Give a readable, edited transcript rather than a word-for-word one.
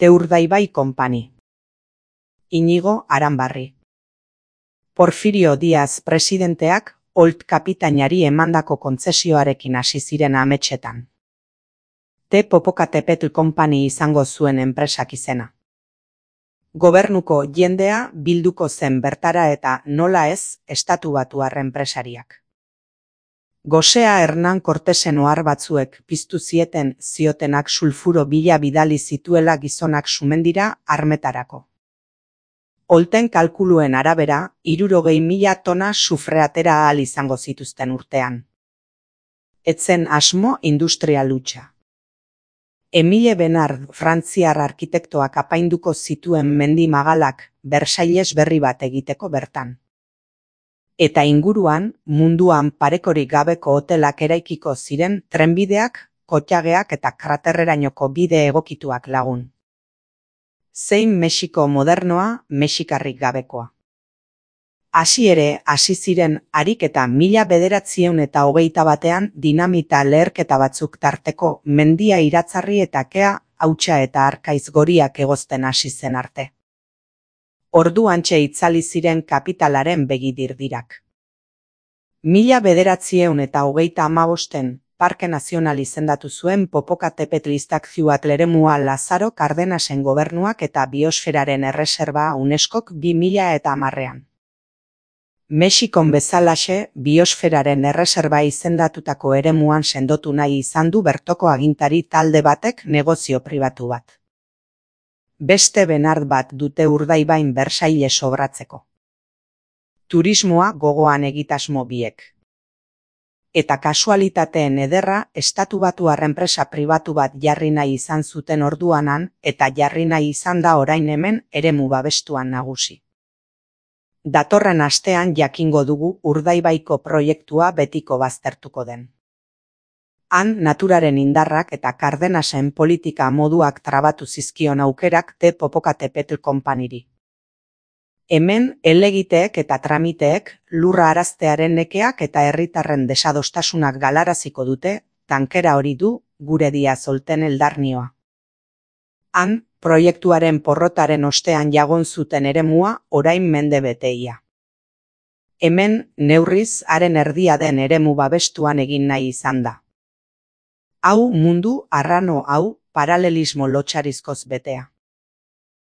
Urdaibai Company. Iñigo Aranbarri. Porfirio Diaz presidenteak Olt kapitainari emandako kontzesioarekin hasi ziren ametsetan. Popocatépetl Company izango zuen enpresak izena. Gobernuko jendea bilduko zen bertara eta nola ez estatubatuar enpresariak. Gosea Hernán Cortesen ohar batzuek piztu ziotenak sulfuro bila bidali zituela gizonak Sumendira armetarako. Olten kalkuluen arabera, 60.000 tona sufre atera ahal izango zituzten urtean. Etzen asmo industrial hutsa. Emile Benard frantziar arkitektoak apainduko zituen mendi magalak Versailles berri bat egiteko bertan. Eta inguruan, munduan parekorik gabeko hotelak eraikiko ziren trenbideak, kotxageak eta kraterrerainoko bide egokituak lagun. Zein Mexiko modernoa, mexikarrik gabekoa. Hasi ziren ariketa 1921 dinamita leherketa batzuk tarteko mendia iratzarri eta kea, hautsa eta arkaiz goriak egozten hasi zen arte. Orduantxe itzali ziren kapitalaren begidirdirak. 1935 Parke Nazional izendatu zuen Popocatépetl iztakziuatl eremua Lazaro Cardenasen gobernuak eta biosferaren erreserba UNESCOk 2010an. Mexikon bezalaxe, biosferaren erreserba izendatutako eremuan sendotu nahi izan du bertoko agintari talde batek negozio pribatu bat. Beste Benard bat dute Urdaibain Versailles obratzeko. Turismoa gogoan egitasmo biek. Eta kasualitateen ederra estatubatuar enpresa pribatu bat jarri nahi izan zuten orduanan eta jarri nahi izan da orain hemen eremu babestuan nagusi. Datorren astean jakingo dugu Urdaibaiko proiektua betiko baztertuko den. Han naturaren indarrak eta Cardenasen politika moduak trabatu zizkion aukerak Popocatépetl Companyri. Hemen helegiteek eta tramiteek lurra araztearen nekeak eta herritarren desadostasunak galaraziko dute, tankera hori du gure Diaz Olten eldarnioa. Han, proiektuaren porrotaren ostean jagon zuten eremua orain mende beteia. Hemen, neurriz, haren erdia den eremu babestuan egin nahi izan da. Hau mundu arrano hau paralelismo lotsarizkoz betea.